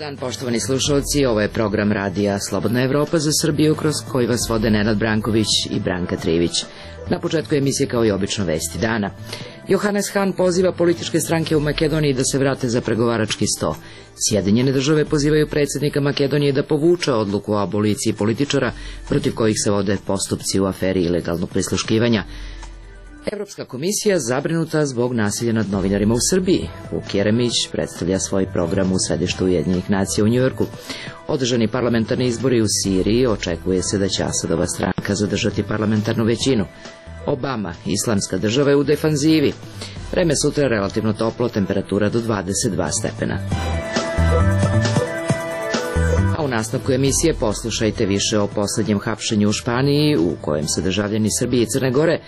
dan, poštovani slušalci, ovo je program radija Slobodna Evropa za Srbiju, kroz koji vas vode Nenad Branković i Branka Trivić. Na početku emisije, kao i obično, vesti dana. Johannes Hahn poziva političke stranke u Makedoniji da se vrate za pregovarački sto. Sjedinjene države pozivaju predsjednika Makedonije da povuče odluku o aboliciji političara protiv kojih se vode postupci u aferi ilegalnog prisluškivanja. Evropska komisija zabrinuta zbog nasilja nad novinarima u Srbiji. Vuk Jeremić predstavlja svoj program u središtu Ujedinjenih nacija u Njujorku. Održani parlamentarni izbori u Siriji, očekuje se da će Asadova stranka zadržati parlamentarnu većinu. Obama, islamska država, je u defanzivi. Vreme sutra relativno toplo, temperatura do 22 stepena. A u nastavku emisije poslušajte više o posljednjem hapšenju u Španiji, u kojem se državljani Srbije i Crne Gore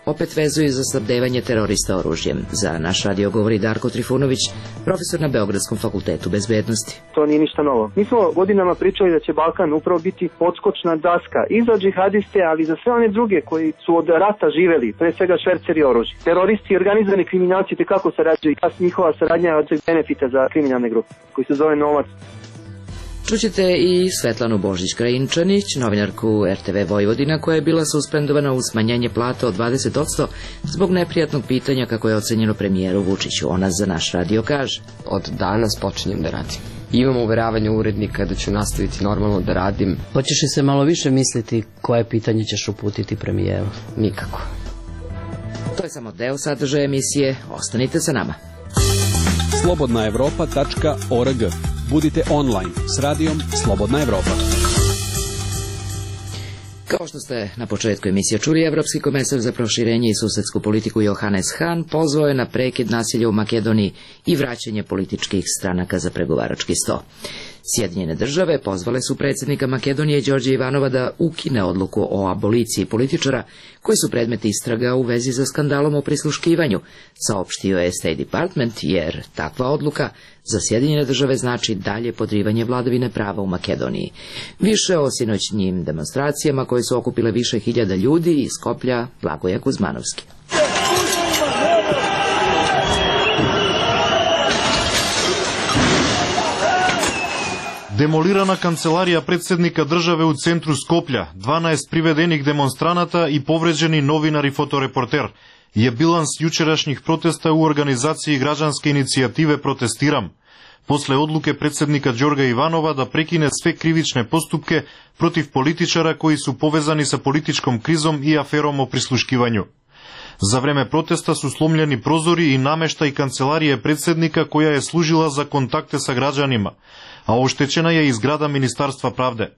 opet vezuju za snabdevanje terorista oružjem. Za naš radio govori Darko Trifunović, profesor na Beogradskom fakultetu bezbednosti. To nije ništa novo. Mi smo godinama pričali da će Balkan upravo biti odskočna daska i za džihadiste, ali i za sve one druge koji su od rata živeli, pre svega šverceri oružja. Teroristi i organizovani kriminalci tekako sarađuju i njihova saradnja je od benefita za kriminalne grupe, koji se zove novac. Čućete i Svetlanu Božić-Krajinčanić, novinarku RTV Vojvodina, koja je bila suspendovana uz smanjenje plata od 20% zbog neprijatnog pitanja kako je ocenjeno premijeru Vučiću. Ona za naš radio kaže: od danas počinjem da radim. Imam uveravanje urednika da ću nastaviti normalno da radim. Hoćeš li se malo više misliti koje pitanje ćeš uputiti premijeru? Nikako. To je samo deo sadržaja emisije. Ostanite sa nama. slobodnaevropa.org. Budite online s radijom Slobodna Evropa. Kao što ste na početku emisije čuli, Evropski komesar za proširenje i susedsku politiku Johannes Hahn pozvao je na prekid nasilja u Makedoniji i vraćanje političkih stranaka za pregovarački sto. Sjedinjene države pozvale su predsjednika Makedonije Đorđa Ivanova da ukine odluku o aboliciji političara koji su predmet istraga u vezi za skandalom o prisluškivanju, saopštio je State Department, jer takva odluka za Sjedinjene države znači dalje podrivanje vladavine prava u Makedoniji. Više o sinoćnjim demonstracijama koje su okupile više hiljada ljudi iz Skoplja, Blagoje Kuzmanovski. Демолирана канцеларија председника државе у центру Скопља, 12 приведених демонстраната и повреđени новинар и фоторепортер. Е биланс јучерашних протеста у организацији граđanske иницијативе Протестирам. После одлуке председника Ѓорга Иванова да прекине све кривичне поступке против политичара кои су повезани со политичком кризом и афером о прислушкивању. За време протеста су сломljeni прозори и намештај канцеларија председника која е служила за контакте со граđанима, а оштечена е и зграда Министарства правде.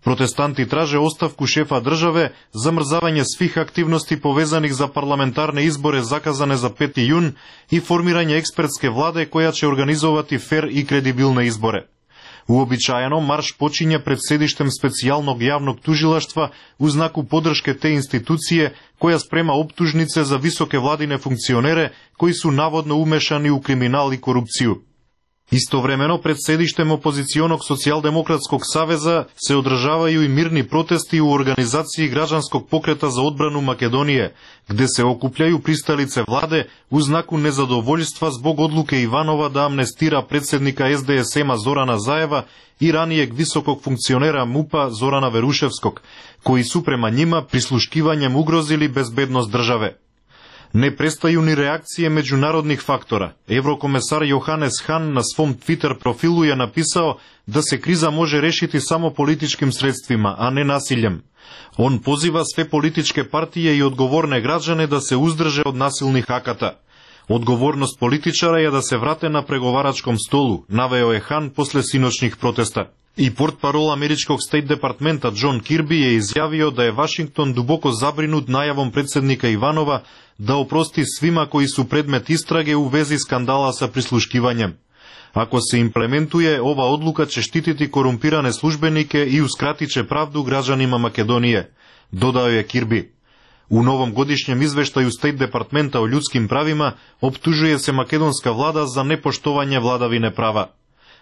Протестанти траже оставку шефа државе, замрзавање свих активности повезаних за парламентарни избори заказане за 5 јун и формирање експертске владе која ќе организовати фер и кредибилни избори. Уобичаено марш почиња пред седиштем специјалног јавног тужилаштва у знаку подршке те институције која спрема оптужнице за високе владине функционере кои су наводно умешани у криминал и корупцију. Истовремено пред седиштем опозиционог Социјалдемократског савеза се одржавају и мирни протести у организацији граđanskog покрета за одбрану Македонија, где се окупљају присталице владе у знаку незадовољства због одлуке Иванова да амнестира председника СДСМ-а Зорана Заева и ранијег високог функционера МУП-а Зорана Верушевског, кои су према њима прислушкивањем угрозили безбедност државе. Не престају ни реакције меѓународних фактора. Еврокомесар Јоханес Хahn на свом Твитер профилу ја написао да се криза може решити само политичким средствима, а не насилјем. Он позива све политичке партии и одговорне граđane да се уздрже од насилни аката. Одговорност политичара е да се врате на преговарачком столу, навео е Хан после синочних протеста. И портпарол америчког Стейт департмента Џон Кирби е изјавио да е Вашингтон дубоко забринут најавом председника Иванова да опрости свима кои су предмет истраге у вези скандала со прислушкивањем. Ако се имплементуе, ова одлука ќе штитити корумпиране службенике и ускратиче правду граđанима Македонije, додао е Кирби. У новом годишњем извештају Стейт департмента о људским правима оптужуе се македонска влада за непоштовање владавине права.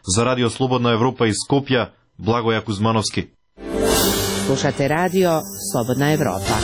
За радио Слободна Европа из Скопја, Благоја Кузмановски. Slušate radio Slobodna Evropa.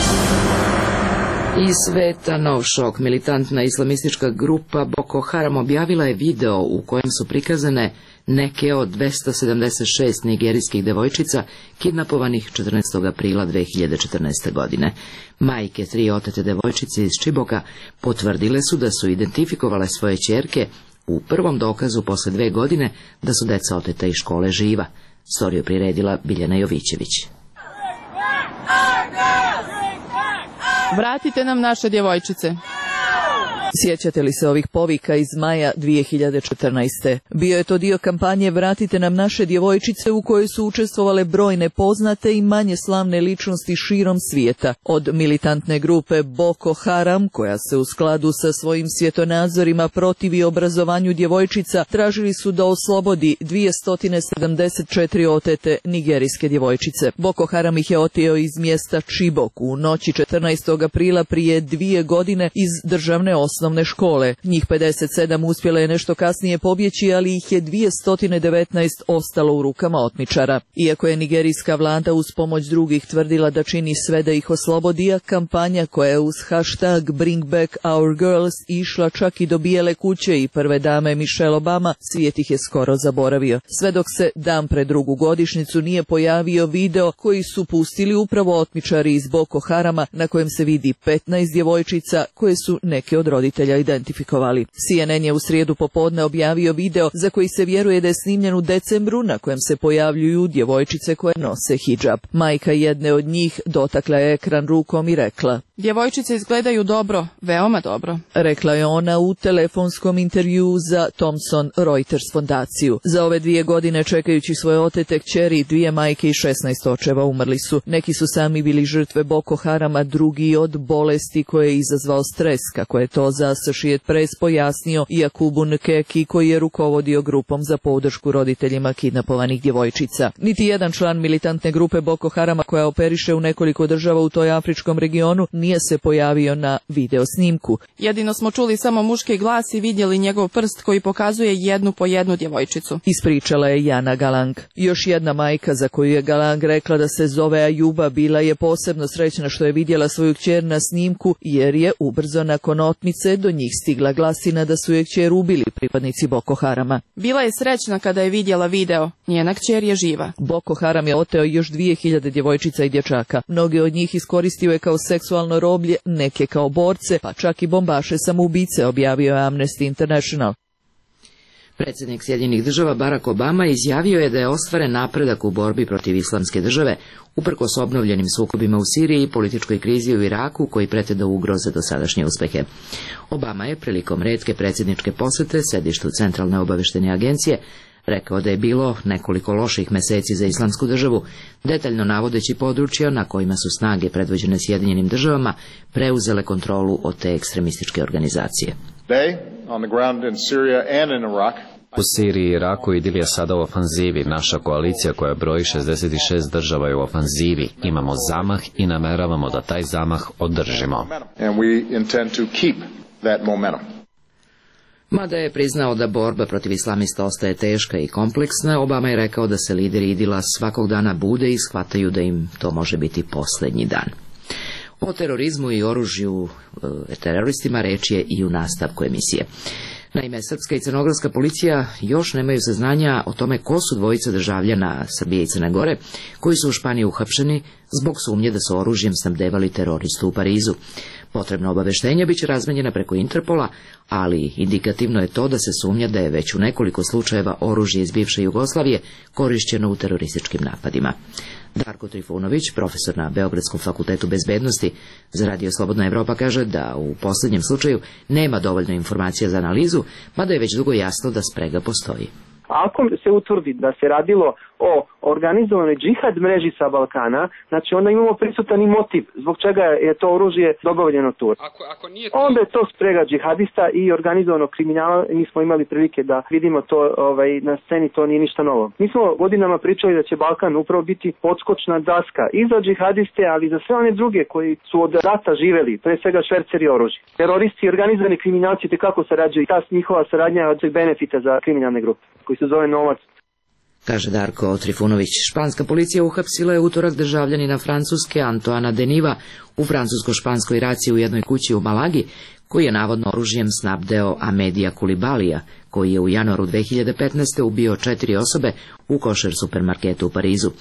Iz sveta nov šok. Militantna islamistička grupa Boko Haram objavila je video u kojem su prikazane neke od 276 nigerijskih devojčica kidnapovanih 14. aprila 2014. godine. Majke 3 otete devojčice iz Čiboka potvrdile su da su identifikovale svoje ćerke u prvom dokazu posle 2 godine da su deca oteta iz škole živa. Storiju priredila Biljana Jovićević. Vratite nam naše djevojčice. Sjećate li se ovih povika iz maja 2014. Bio je to dio kampanje Vratite nam naše djevojčice u kojoj su učestvovale brojne poznate i manje slavne ličnosti širom svijeta. Od militantne grupe Boko Haram, koja se u skladu sa svojim svjetonazorima protivi obrazovanju djevojčica, tražili su da oslobodi 274 otete nigerijske djevojčice. Boko Haram ih je oteo iz mjesta Chibok u noći 14. aprila prije 2 godine iz državne osnovne škole. Njih 57 uspjelo je nešto kasnije pobjeći, ali ih je 219 ostalo u rukama otmičara. Iako je nigerijska vlada uz pomoć drugih tvrdila da čini sve da ih oslobodi, a kampanja koja je uz hashtag Bring Back Our Girls išla čak i do Bijele kuće i prve dame Michelle Obama, svijet ih je skoro zaboravio. Sve dok se dan pred drugu godišnjicu nije pojavio video koji su pustili upravo otmičari iz Boko Harama, na kojem se vidi 15 djevojčica koje su neke od roditelja identifikovali. CNN je u srijedu popodne objavio video za koji se vjeruje da je snimljen u decembru, na kojem se pojavljuju djevojčice koje nose hidžab. Majka jedne od njih dotakla je ekran rukom i rekla: Djevojčice izgledaju dobro, veoma dobro. Rekla je ona u telefonskom intervjuu za Thomson Reuters fondaciju. Za ove 2 godine čekajući svoje otete kćeri, 2 majke i 16 očeva umrli su. Neki su sami bili žrtve Boko Harama, drugi od bolesti koje je izazvao stres, kako je to za Associated Press pojasnio Jakubu Nkeki, koji je rukovodio grupom za podršku roditeljima kidnapovanih djevojčica. Niti jedan član militantne grupe Boko Harama, koja operiše u nekoliko država u toj afričkom regionu, nije se pojavio na video snimku. Jedino smo čuli samo muški glas i vidjeli njegov prst koji pokazuje jednu po jednu djevojčicu. Ispričala je Jana Galang. Još jedna majka za koju je Galang rekla da se zove Ajuba bila je posebno srećna što je vidjela svoju kćer na snimku, jer je ubrzo nakon otmice do njih stigla glasina da su je kćer ubili pripadnici Boko Harama. Bila je srećna kada je vidjela video. Njena kćer je živa. Boko Haram je oteo još 2000 djevojčica i dječaka. Mnoge od njih iskoristio je kao seksualno roblje, neke kao borce, pa čak i bombaše samoubice, objavio je Amnesty International. Predsjednik Sjedinjenih Država Barack Obama izjavio je da je ostvaren napredak u borbi protiv islamske države, uprkos obnovljenim sukobima u Siriji i političkoj krizi u Iraku koji prete da ugroze dosadašnje uspehe. Obama je prilikom retke predsjedničke posjete sedištu Centralne obavještajne agencije rekao da je bilo nekoliko loših mjeseci za islamsku državu, detaljno navodeći područja na kojima su snage predvođene Sjedinjenim Državama preuzele kontrolu od te ekstremističke organizacije. U Siriji i Iraku idil je sada u ofanzivi. Naša koalicija koja broji 66 država je u ofanzivi. Imamo zamah i nameravamo da taj zamah održimo. Mada je priznao da borba protiv islamista ostaje teška i kompleksna, Obama je rekao da se lideri idila svakog dana bude i shvataju da im to može biti posljednji dan. O terorizmu i oružju teroristima reč je i u nastavku emisije. Naime, srpska i crnogorska policija još nemaju saznanja o tome ko su dvojica državljana Srbije i Crne Gore koji su u Španiji uhapšeni zbog sumnje da su oružjem snabdevali teroristu u Parizu. Potrebna obaveštenja biće razmenjena preko Interpola, ali indikativno je to da se sumnja da je već u nekoliko slučajeva oružje iz bivše Jugoslavije korišćeno u terorističkim napadima. Darko Trifunović, profesor na Beogradskom fakultetu bezbednosti za Radio Slobodna Evropa, kaže da u posljednjem slučaju nema dovoljno informacija za analizu, mada je već dugo jasno da sprega postoji. Ako se utvrdi da se radilo o organizovanoj džihad mreži sa Balkana, znači onda imamo prisutan i motiv zbog čega je to oružje dobavljeno tu. Onda je to sprega džihadista i organizovanog kriminala. Mi smo imali prilike da vidimo to na sceni, to nije ništa novo. Mi smo godinama pričali da će Balkan upravo biti podskočna daska i za džihadiste, ali i za sve one druge koji su od rata živeli, pre svega šverceri oružja. Teroristi i organizovani kriminalci tekako sarađuju i ta njihova saradnja je od benefita za kriminalne grupe koji se zove novac. Kaže Darko Trifunović. Španska policija uhapsila je utorak državljanina Francuske Antoana Deniva u francusko-španskoj raciji u jednoj kući u Malagi, koji je navodno oružjem snabdeo Amedija Kulibalija, koji je u januaru 2015. ubio 4 osobe u košer supermarketu u Parizu.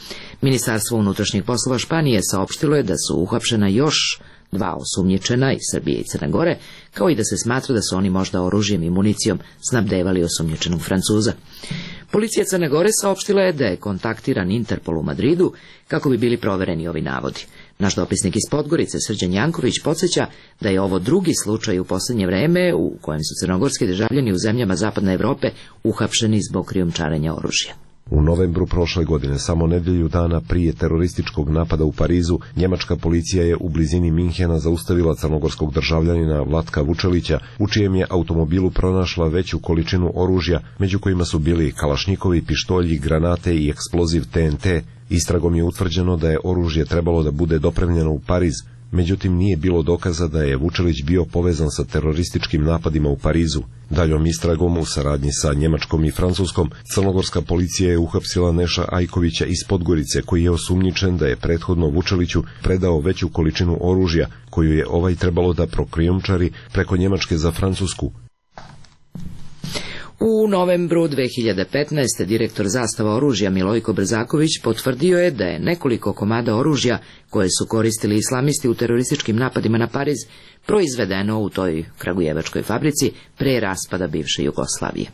Ministarstvo unutrašnjih poslova Španije saopštilo je da su uhapšena još 2 osumnjičena iz Srbije i Crne Gore, kao i da se smatra da su oni možda oružjem i municijom snabdevali osumnjičenog Francuza. Policija Crne Gore saopštila je da je kontaktiran Interpol u Madridu kako bi bili provereni ovi navodi. Naš dopisnik iz Podgorice, Srđan Janković, podsjeća da je ovo drugi slučaj u posljednje vreme u kojem su crnogorski državljani u zemljama Zapadne Evrope uhapšeni zbog krijumčarenja oružja. U novembru prošle godine, samo nedelju dana prije terorističkog napada u Parizu, njemačka policija je u blizini Minhena zaustavila crnogorskog državljanina Vlatka Vučelića, u čijem je automobilu pronašla veću količinu oružja, među kojima su bili kalašnjikovi, pištolji, granate i eksploziv TNT. Istragom je utvrđeno da je oružje trebalo da bude dopremljeno u Pariz, međutim nije bilo dokaza da je Vučelić bio povezan sa terorističkim napadima u Parizu. Daljom istragom u saradnji sa Njemačkom i Francuskom, crnogorska policija je uhapsila Neša Ajkovića iz Podgorice, koji je osumnjičen da je prethodno Vučeliću predao veću količinu oružja, koju je ovaj trebalo da prokrijumčari preko Njemačke za Francusku. U novembru 2015. direktor Zastava oružja Milojko Brzaković potvrdio je da je nekoliko komada oružja koje su koristili islamisti u terorističkim napadima na Pariz proizvedeno u toj kragujevačkoj fabrici pre raspada bivše Jugoslavije.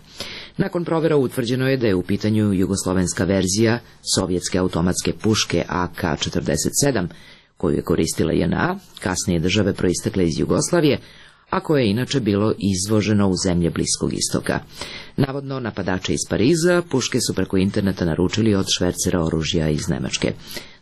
Nakon provera utvrđeno je da je u pitanju jugoslovenska verzija sovjetske automatske puške AK-47, koju je koristila JNA, kasnije države proistekle iz Jugoslavije, a koje je inače bilo izvoženo u zemlje Bliskog istoka. Navodno, napadači iz Pariza puške su preko interneta naručili od švercera oružja iz Nemačke.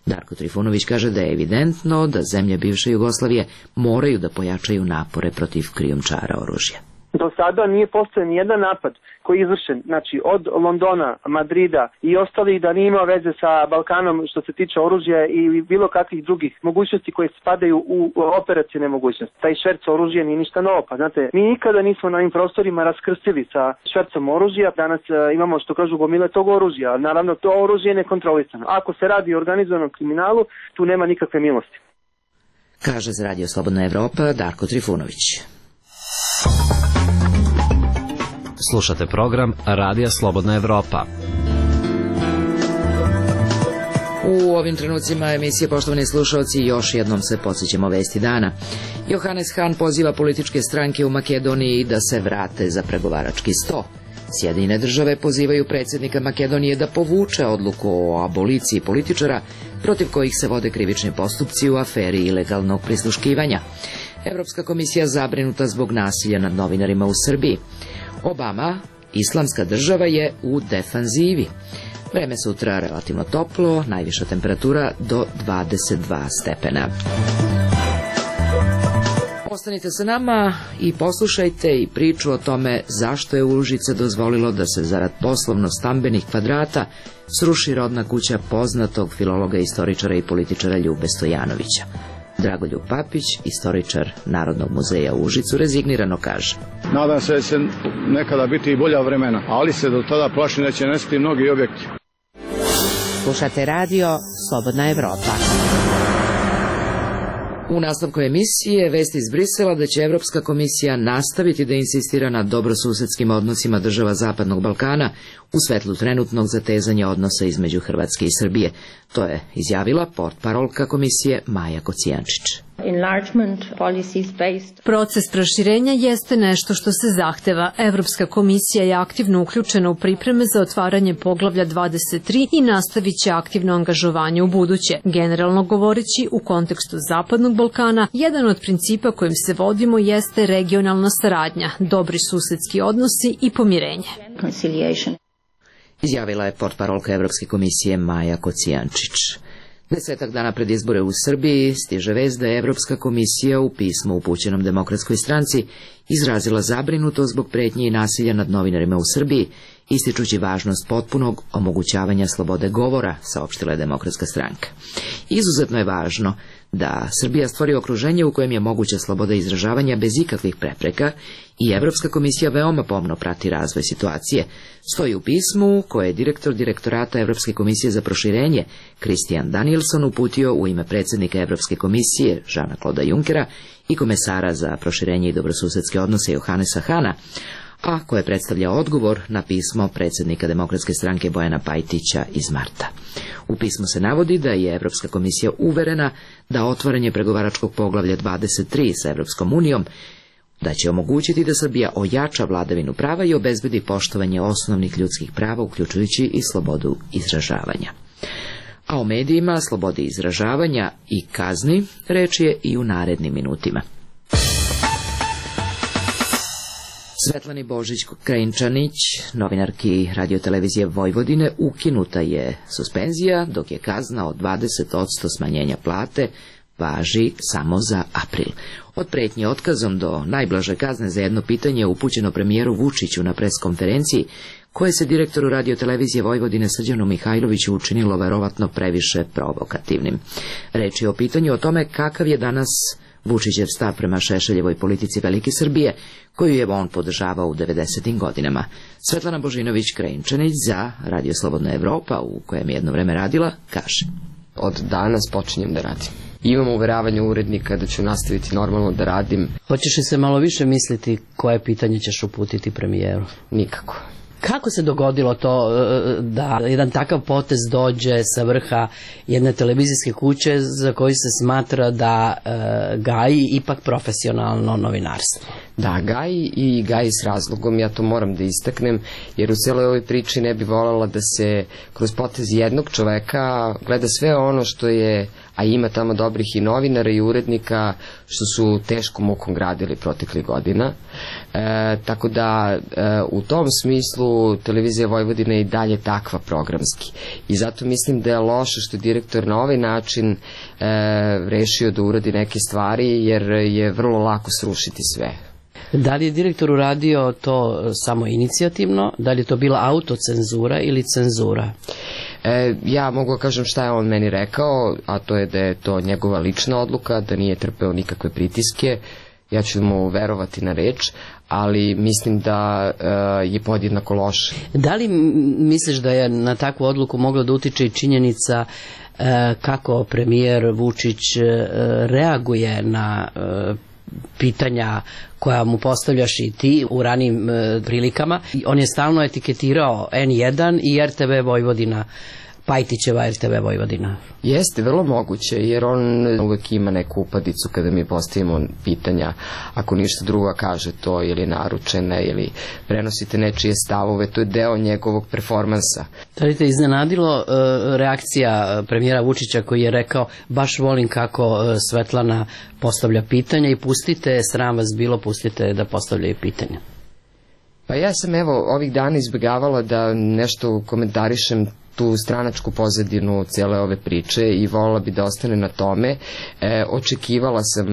Darko Trifunović kaže da je evidentno da zemlje bivše Jugoslavije moraju da pojačaju napore protiv krijumčara oružja. Do sada nije postojao ni jedan napad koji je izvršen, znači od Londona, Madrida i ostalih, da nije imao veze sa Balkanom što se tiče oružja i bilo kakvih drugih mogućnosti koje spadaju u operacijne mogućnosti. Taj šverc oružja nije ništa novo, pa znate, mi nikada nismo na ovim prostorima raskrstili sa švercom oružja, danas imamo, što kažu, gomile tog oružja, ali naravno to oružje je nekontrolisano. Ako se radi o organizovanom kriminalu, tu nema nikakve milosti. Kaže za Radio Slobodna Evropa Darko Trifunović. Slušate program Radija Slobodna Evropa. U ovim trenucima emisije, poštovani slušalci, još jednom se podsjećamo vesti dana. Johannes Hahn poziva političke stranke u Makedoniji da se vrate za pregovarački sto. Sjedinjene države pozivaju predsjednika Makedonije da povuče odluku o aboliciji političara protiv kojih se vode krivični postupci u aferi ilegalnog prisluškivanja. Evropska komisija zabrinuta zbog nasilja nad novinarima u Srbiji. Obama, islamska država je u defanzivi. Vreme sutra relativno toplo, najviša temperatura do 22 stepena. Ostanite sa nama i poslušajte i priču o tome zašto je Užice dozvolilo da se zarad poslovno-stambenih kvadrata sruši rodna kuća poznatog filologa, istoričara i političara Ljube Stojanovića. Dragoljub Papić, istoričar Narodnog muzeja u Užicu, rezignirano kaže: Nadam se da će nekada biti i bolja vremena, ali se do tada plašim da će nestati mnogi objekti. Slušate radio Slobodna Evropa. U nastavku emisije vesti iz Brisela da će Evropska komisija nastaviti da insistira na dobrosusedskim odnosima država Zapadnog Balkana u svetlu trenutnog zatezanja odnosa između Hrvatske i Srbije. To je izjavila portparolka komisije Maja Kocijančić. Proces proširenja jeste nešto što se zahteva. Evropska komisija je aktivno uključena u pripreme za otvaranje poglavlja 23 i nastavit će aktivno angažovanje u buduće. Generalno govoreći, u kontekstu Zapadnog Balkana, jedan od principa kojim se vodimo jeste regionalna saradnja, dobri susedski odnosi i pomirenje. Izjavila je portparolka Evropske komisije Maja Kocijančić. 10 dana pred izbore u Srbiji stiže vest da je Evropska komisija u pismu upućenom Demokratskoj stranci izrazila zabrinutost zbog pretnje i nasilja nad novinarima u Srbiji, ističući važnost potpunog omogućavanja slobode govora, saopštila je Demokratska stranka. Izuzetno je važno da Srbija stvori okruženje u kojem je moguća sloboda izražavanja bez ikakvih prepreka I Evropska komisija veoma pomno prati razvoj situacije, stoji u pismu koje je direktor direktorata Evropske komisije za proširenje Christian Danielson uputio u ime predsjednika Evropske komisije Jeana-Claude Junckera i komesara za proširenje i dobrosusedske odnose Johannesa Hana, a koje predstavlja odgovor na pismo predsjednika Demokratske stranke Bojana Pajtića iz marta. U pismu se navodi da je Evropska komisija uverena da otvaranje pregovaračkog poglavlja 23 sa Evropskom unijom da će omogućiti da Srbija ojača vladavinu prava i obezbedi poštovanje osnovnih ljudskih prava, uključujući i slobodu izražavanja. A o medijima, slobodi izražavanja i kazni reč je i u narednim minutima. Svetlani Božić-Krajinčanić, novinarki radiotelevizije Vojvodine, ukinuta je suspenzija, dok je kazna od 20% smanjenja plate važi samo za april. Od pretnje otkazom do najblaže kazne za jedno pitanje upućeno premijeru Vučiću na preskonferenciji, koje se direktoru radiotelevizije Vojvodine Srđanu Mihajloviću učinilo verovatno previše provokativnim. Reč je o pitanju o tome kakav je danas Vučićev stav prema Šešeljevoj politici Velike Srbije, koju je on podržavao u 90. godinama. Svetlana Božinović-Krajinčanić za Radio Slobodna Evropa, u kojem je jedno vreme radila, kaže: Od danas počinjem da radim. Imam uveravanje urednika da ću nastaviti normalno da radim. Hoćeš li se malo više misliti koje pitanje ćeš uputiti premijeru? Nikako. Kako se dogodilo to da jedan takav potez dođe sa vrha jedne televizijske kuće za koju se smatra da gaji ipak profesionalno novinarstvo? Da, gaji s razlogom, ja to moram da istaknem, jer u celoj ovoj priči ne bi voljela da se kroz potez jednog čoveka gleda sve ono što je, a ima tamo dobrih i novinara i urednika, što su teškom mukom gradili proteklih godina. Tako da u tom smislu televizija Vojvodina je i dalje takva programski. I zato mislim da je loše što direktor na ovaj način rešio da uradi neke stvari, jer je vrlo lako srušiti sve. Da li je direktor uradio to samo inicijativno? Da li je to bila autocenzura ili cenzura? Ja mogu kažem šta je on meni rekao, a to je da je to njegova lična odluka, da nije trpeo nikakve pritiske. Ja ću mu verovati na reč, ali mislim da je podjednako loše. Da li misliš da je na takvu odluku mogla da utiče i činjenica kako premijer Vučić reaguje na pitanja koja mu postavljaš i ti u ranim prilikama? On je stalno etiketirao N1 i RTV Vojvodina, Pajtićeva RTV Vojvodina. Jeste, vrlo moguće, jer on uvek ima neku upadicu kada mi postavimo pitanja. Ako ništa drugo kaže to ili naručene ili prenosite nečije stavove, to je deo njegovog performansa. Da li te iznenadilo reakcija premijera Vučića koji je rekao baš volim kako Svetlana postavlja pitanja i pustite, sram vas bilo, pustite da postavljaju pitanja? Pa ja sam ovih dana izbjegavala da nešto komentarišem tu stranačku pozadinu cijele ove priče i voljela bi da ostane na tome. Očekivala sam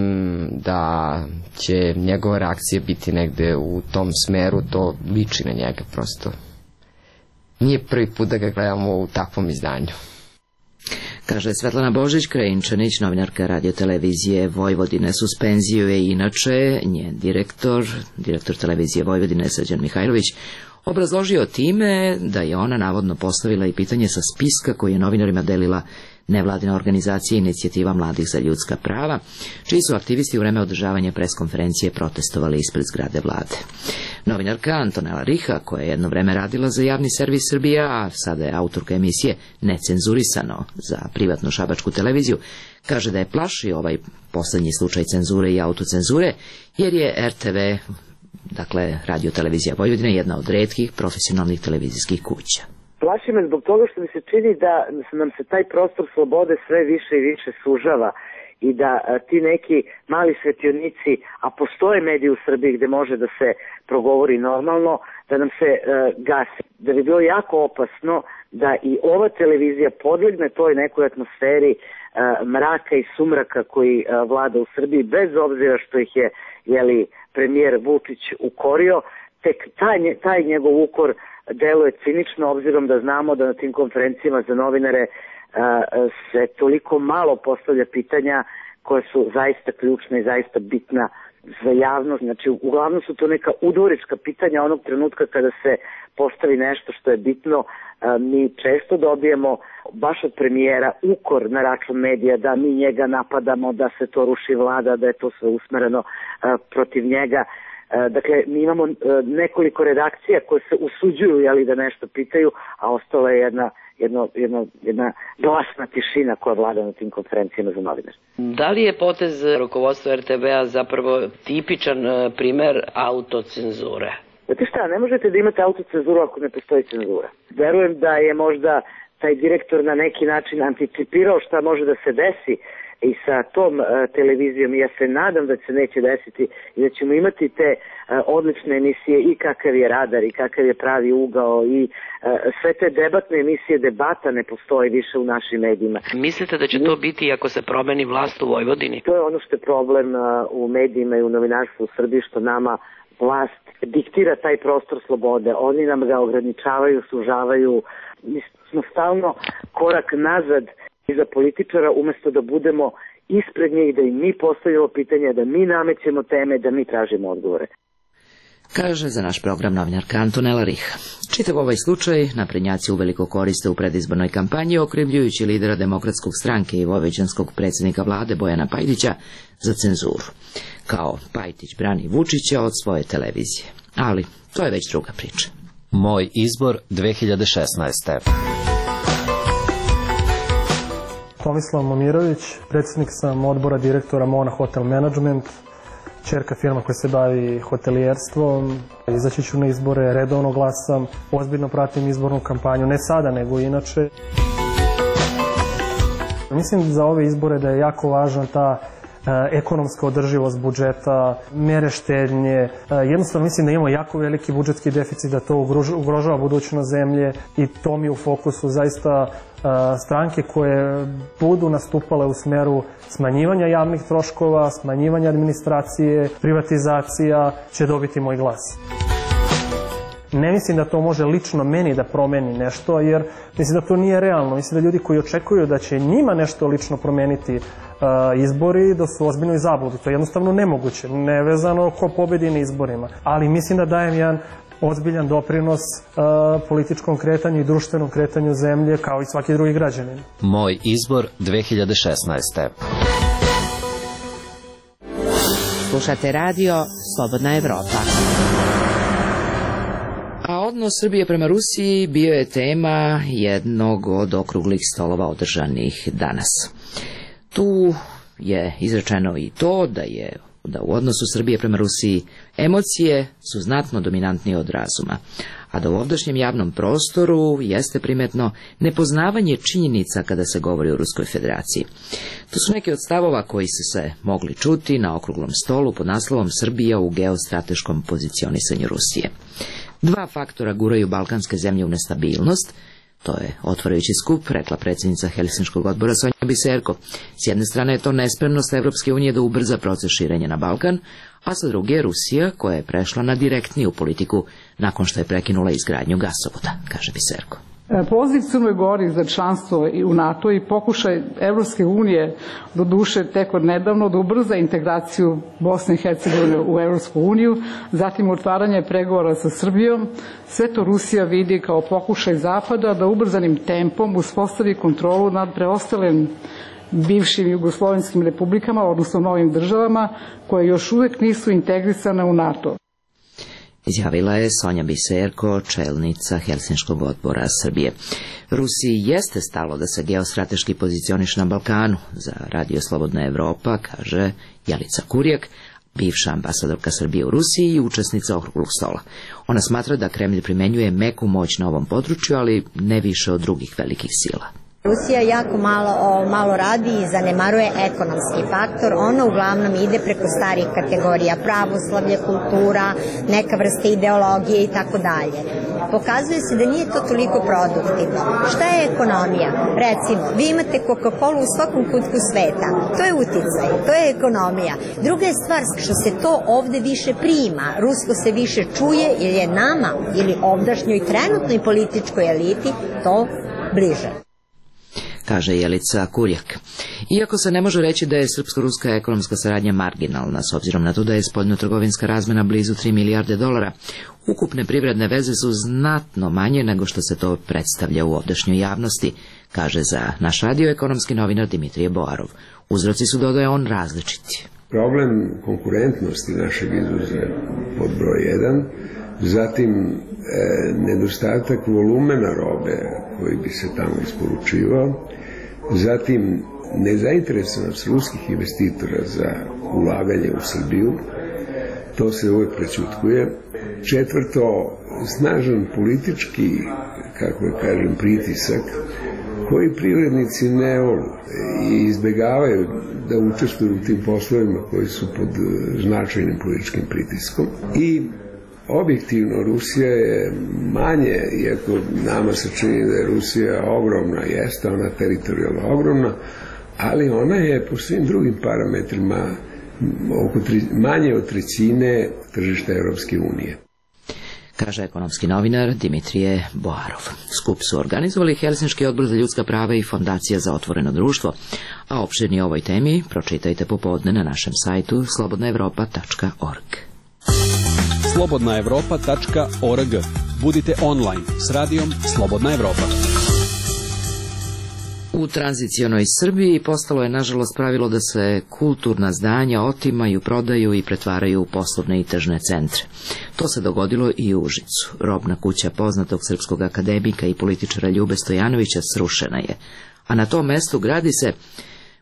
da će njegova reakcija biti negde u tom smeru, to liči na njega prosto. Nije prvi put da ga gledamo u takvom izdanju. Kaže Svetlana Božić-Krajinčanić, novinarka radiotelevizije Vojvodine. Suspenziju je inače njen direktor televizije Vojvodine Srđan Mihajlović obrazložio time da je ona navodno postavila i pitanje sa spiska koji je novinarima delila nevladina organizacija Inicijativa mladih za ljudska prava, čiji su aktivisti u vreme održavanja preskonferencije protestovali ispred zgrade vlade. Novinarka Antonela Riha, koja je jedno vreme radila za javni servis Srbija, a sada je autorka emisije Necenzurisano za privatnu šabačku televiziju, kaže da je plaši ovaj poslednji slučaj cenzure i autocenzure, jer je RTV, dakle radiotelevizija Vojvodine, jedna od retkih profesionalnih televizijskih kuća. Plaši me zbog toga što mi se čini da nam se taj prostor slobode sve više i više sužava i da ti neki mali svetionici, a postoje mediji u Srbiji gde može da se progovori normalno, da nam se gasi. Da bi bilo jako opasno da i ova televizija podlegne toj nekoj atmosferi mraka i sumraka koji vlada u Srbiji, bez obzira što ih je premijer Vučić ukorio, tek taj njegov ukor deluje cinično, obzirom da znamo da na tim konferencijama za novinare se toliko malo postavlja pitanja koja su zaista ključna i zaista bitna za javnost. Znači, uglavnom su to neka udvorička pitanja onog trenutka kada se postavi nešto što je bitno. Mi često dobijemo baš od premijera ukor na račun medija da mi njega napadamo, da se to ruši vlada, da je to sve usmereno protiv njega. Dakle, mi imamo nekoliko redakcija koje se usuđuju da nešto pitaju, a ostala je jedna glasna tišina koja vlada na tim konferencijama za novinare. Da li je potez rukovodstva RTB-a zapravo tipičan primer autocenzure? Znate šta, ne možete da imate autocenzuru ako ne postoji cenzura. Verujem da je možda taj direktor na neki način anticipirao šta može da se desi i sa tom televizijom. Ja se nadam da se neće desiti i da ćemo imati te odlične emisije i kakav je radar i kakav je pravi ugao i sve te debatne emisije, debata ne postoji više u našim medijima. Mislite da će to biti ako se promeni vlast u Vojvodini? To je ono što je problem u medijima i u novinarstvu u Srbiji, što nama vlast diktira taj prostor slobode. Oni nam ga ograničavaju, sužavaju. Mi smo stalno korak nazad iza političara, umesto da budemo ispred njih, da im mi postavljamo pitanja, da mi namećemo teme, da mi tražimo odgovore. Kaže za naš program novinarka Antonela Rih. Čitav ovaj slučaj naprednjaci uveliko koriste u predizbornoj kampanji, okrivljujući lidera Demokratskog stranke i vojvođanskog predsjednika vlade Bojana Pajtića za cenzuru. Kao Pajtić brani Vučića od svoje televizije. Ali to je već druga priča. Moj izbor 2016. Tomislav Momirović, predsjednik sam odbora direktora Mona Hotel Management, ćerka firma koja se bavi hotelijerstvom. Izaći ću na izbore, redovno glasam, ozbiljno pratim izbornu kampanju, ne sada nego inače. Mislim za ove izbore da je jako važna ta ekonomska održivost budžeta, mere štednje. Jednostavno mislim da imamo jako veliki budžetski deficit, da to ugrožava budućnost zemlje i to mi je u fokusu. Zaista stranke koje budu nastupale u smeru smanjivanja javnih troškova, smanjivanja administracije, privatizacija će dobiti moj glas. Ne mislim da to može lično meni da promeni nešto, jer mislim da to nije realno. Mislim da ljudi koji očekuju da će njima nešto lično promeniti izbori, da su ozbiljno i zabludu. To je jednostavno nemoguće, nevezano ko pobedi na izborima. Ali mislim da dajem jedan ozbiljan doprinos političkom kretanju i društvenom kretanju zemlje, kao i svaki drugi građanin. Moj izbor 2016. Slušate radio Slobodna Evropa. A odnos Srbije prema Rusiji bio je tema jednog od okruglih stolova održanih danas. Tu je izrečeno i to da u odnosu Srbije prema Rusiji emocije su znatno dominantnije od razuma, a da u ovdašnjem javnom prostoru jeste primetno nepoznavanje činjenica kada se govori o Ruskoj federaciji. To su neki od stavova koji su se mogli čuti na okruglom stolu pod naslovom Srbija u geostrateškom pozicionisanju Rusije. Dva faktora guraju balkanske zemlje u nestabilnost. To je otvarajući skup, rekla predsjednica Helsinškog odbora Sonja Biserko. S jedne strane je to nespremnost Evropske unije da ubrza proces širenja na Balkan, a sa druge je Rusija koja je prešla na direktniju politiku nakon što je prekinula izgradnju gasovoda, kaže Biserko. Poziv Crnoj Gori za članstvo u NATO i pokušaj Evropske unije, do duše tek od nedavno, da ubrza integraciju Bosne i Hercegovine u Evropsku uniju, zatim otvaranje pregovora sa Srbijom, sve to Rusija vidi kao pokušaj Zapada da ubrzanim tempom uspostavi kontrolu nad preostalim bivšim jugoslovenskim republikama, odnosno novim državama, koje još uvek nisu integrisane u NATO. Izjavila je Sonja Biserko, čelnica Helsinškog odbora Srbije. Rusiji jeste stalo da se geostrateški pozicioniše na Balkanu. Za Radio Slobodna Evropa, kaže Jelica Kurjak, bivša ambasadorka Srbije u Rusiji i učesnica okruglog stola. Ona smatra da Kremlj primenjuje meku moć na ovom području, ali ne više od drugih velikih sila. Rusija jako malo radi i zanemaruje ekonomski faktor. Ona uglavnom ide preko starih kategorija, pravoslavlje, kultura, neka vrsta ideologije i tako dalje. Pokazuje se da nije to toliko produktivno. Šta je ekonomija? Recimo, vi imate Coca-Cola u svakom kutku sveta. To je uticaj, to je ekonomija. Druga je stvar što se to ovde više prima. Rusko se više čuje jer je nama ili ovdašnjoj trenutnoj političkoj eliti to bliže. kaže Jelica Kurjak. Iako se ne može reći da je srpsko-ruska ekonomska saradnja marginalna, s obzirom na to da je spoljnotrgovinska razmena blizu 3 milijarde dolara, ukupne privredne veze su znatno manje nego što se to predstavlja u ovdašnjoj javnosti, kaže za naš radio ekonomski novinar Dimitrije Boarov. Uzroci su, dodaje on, različiti. Problem konkurentnosti našeg izvoza pod broj 1, zatim nedostatak volumena robe koji bi se tamo isporučivao, zatim nezainteresovanost ruskih investitora za ulaganje u Srbiju, to se uvek prećutkuje. Četvrto, snažan politički, kako je kažem, pritisak koji privrednici ne vole i izbegavaju da učestvuju u tim poslovima koji su pod značajnim političkim pritiskom. I objektivno Rusija je manje, iako nama se čini da je Rusija ogromna, jeste ona teritorijalno ogromna, ali ona je po svim drugim parametrima manje od trećine tržišta Evropske unije. Kaže ekonomski novinar Dimitrije Boarov. Skup su organizovali Helsinški odbor za ljudska prava i Fondacija za otvoreno društvo, a opširnije o ovoj temi pročitajte popodne na našem sajtu slobodnaevropa.org. slobodnaevropa.org. Budite online s radijom Slobodna Evropa. U tranzicionoj Srbiji postalo je nažalost pravilo da se kulturna zdanja otimaju, prodaju i pretvaraju u poslovne i tržne centre. To se dogodilo i u Užicu. Robna kuća poznatog srpskog akademika i političara Ljube Stojanovića srušena je, a na tom mestu gradi se,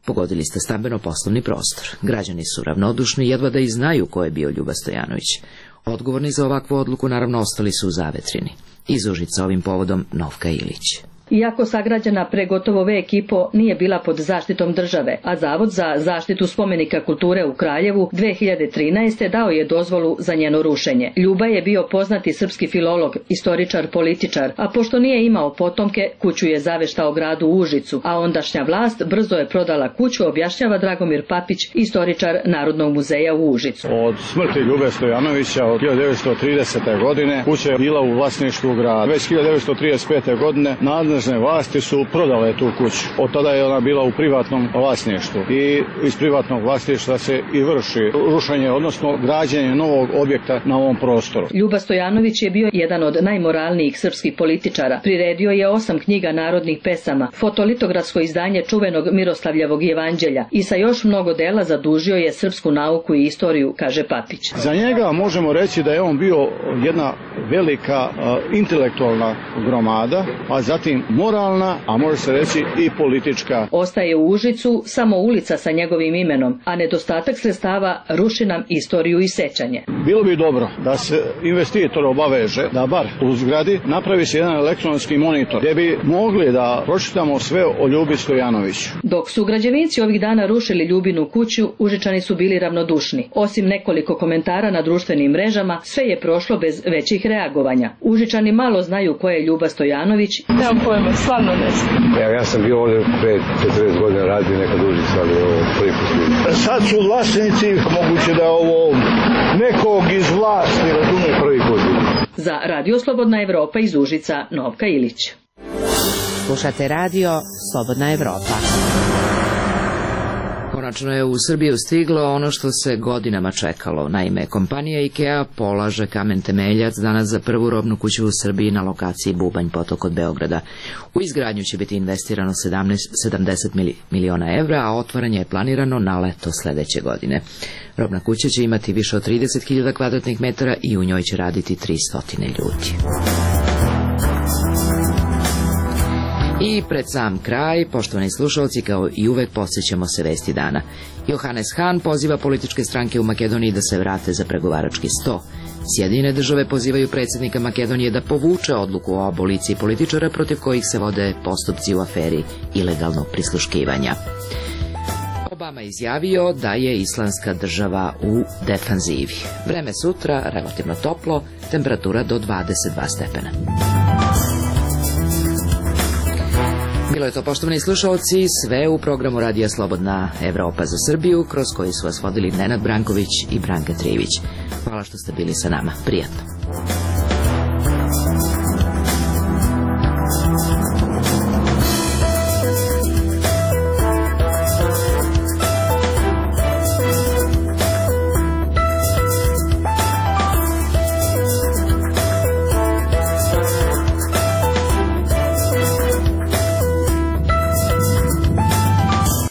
pogodili ste, stambeno-poslovni prostor. Građani su ravnodušni, jedva da i znaju ko je bio Ljuba Stojanović. Odgovorni za ovakvu odluku naravno ostali su u Zavetrini. Iz Užica ovim povodom Novka Ilić. Iako sagrađena pre gotovo vek i po nije bila pod zaštitom države, a Zavod za zaštitu spomenika kulture u Kraljevu 2013. dao je dozvolu za njeno rušenje. Ljuba je bio poznati srpski filolog, istoričar, političar, a pošto nije imao potomke, kuću je zaveštao gradu Užicu, a ondašnja vlast brzo je prodala kuću, objašnjava Dragomir Papić, istoričar Narodnog muzeja u Užicu. Od smrti Ljube Stojanovića od 1930. godine kuća je bila u vlasništvu grada. Već 1935. godine nadležne vlasti su prodale tu kuću. Od tada je ona bila u privatnom vlasništvu i iz privatnog vlasništva se i vrši rušenje, odnosno građenje novog objekta na ovom prostoru. Ljuba Stojanović je bio jedan od najmoralnijih srpskih političara. Priredio je 8 knjiga narodnih pesama, fotolitografsko izdanje čuvenog Miroslavljevog jevanđelja i sa još mnogo dela zadužio je srpsku nauku i istoriju, kaže Papić. Za njega možemo reći da je on bio jedna velika intelektualna gromada, a zatim moralna, a može se reći i politička. Ostaje u Užicu samo ulica sa njegovim imenom, a nedostatak sredstava ruši nam istoriju i sećanje. Bilo bi dobro da se investitor obaveže da bar u zgradi napravi se jedan elektronski monitor gdje bi mogli da pročitamo sve o Ljubi Stojanoviću. Dok su građevinci ovih dana rušili Ljubinu kuću, Užičani su bili ravnodušni. Osim nekoliko komentara na društvenim mrežama, sve je prošlo bez većih reagovanja. Užičani malo znaju ko je Ljuba Stojanović. Nemam pojma, stvarno ne znam. Ja sam bio ovdje pre 40 godina radio nekad Užicu, ali ovo prvi put. Sad su vlasnici, moguće da je ovo nekog iz vlasti, razumije, prvi put. Za Radio Slobodna Evropa iz Užica, Novka Ilić. Slušate radio Slobodna Evropa. Konačno je u Srbiju stiglo ono što se godinama čekalo. Naime, kompanija IKEA polaže kamen temeljac danas za prvu robnu kuću u Srbiji na lokaciji Bubanj potok od Beograda. U izgradnju će biti investirano 70 miliona evra, a otvaranje je planirano na leto sledeće godine. Robna kuća će imati više od 30.000 kvadratnih metara i u njoj će raditi 300 ljudi. I pred sam kraj, poštovani slušalci, kao i uvek podsjećamo se vesti dana. Johannes Hahn poziva političke stranke u Makedoniji da se vrate za pregovarački sto. Sjedinjene države pozivaju predsjednika Makedonije da povuče odluku o aboliciji političara protiv kojih se vode postupci u aferi ilegalnog prisluškivanja. Obama izjavio da je Islamska država u defanzivi. Vreme sutra relativno toplo, temperatura do 22 stepena. Bilo je to, poštovani slušalci, sve u programu Radija Slobodna Evropa za Srbiju, kroz koji su vas vodili Nenad Branković i Branka Trivić. Hvala što ste bili sa nama. Prijatno.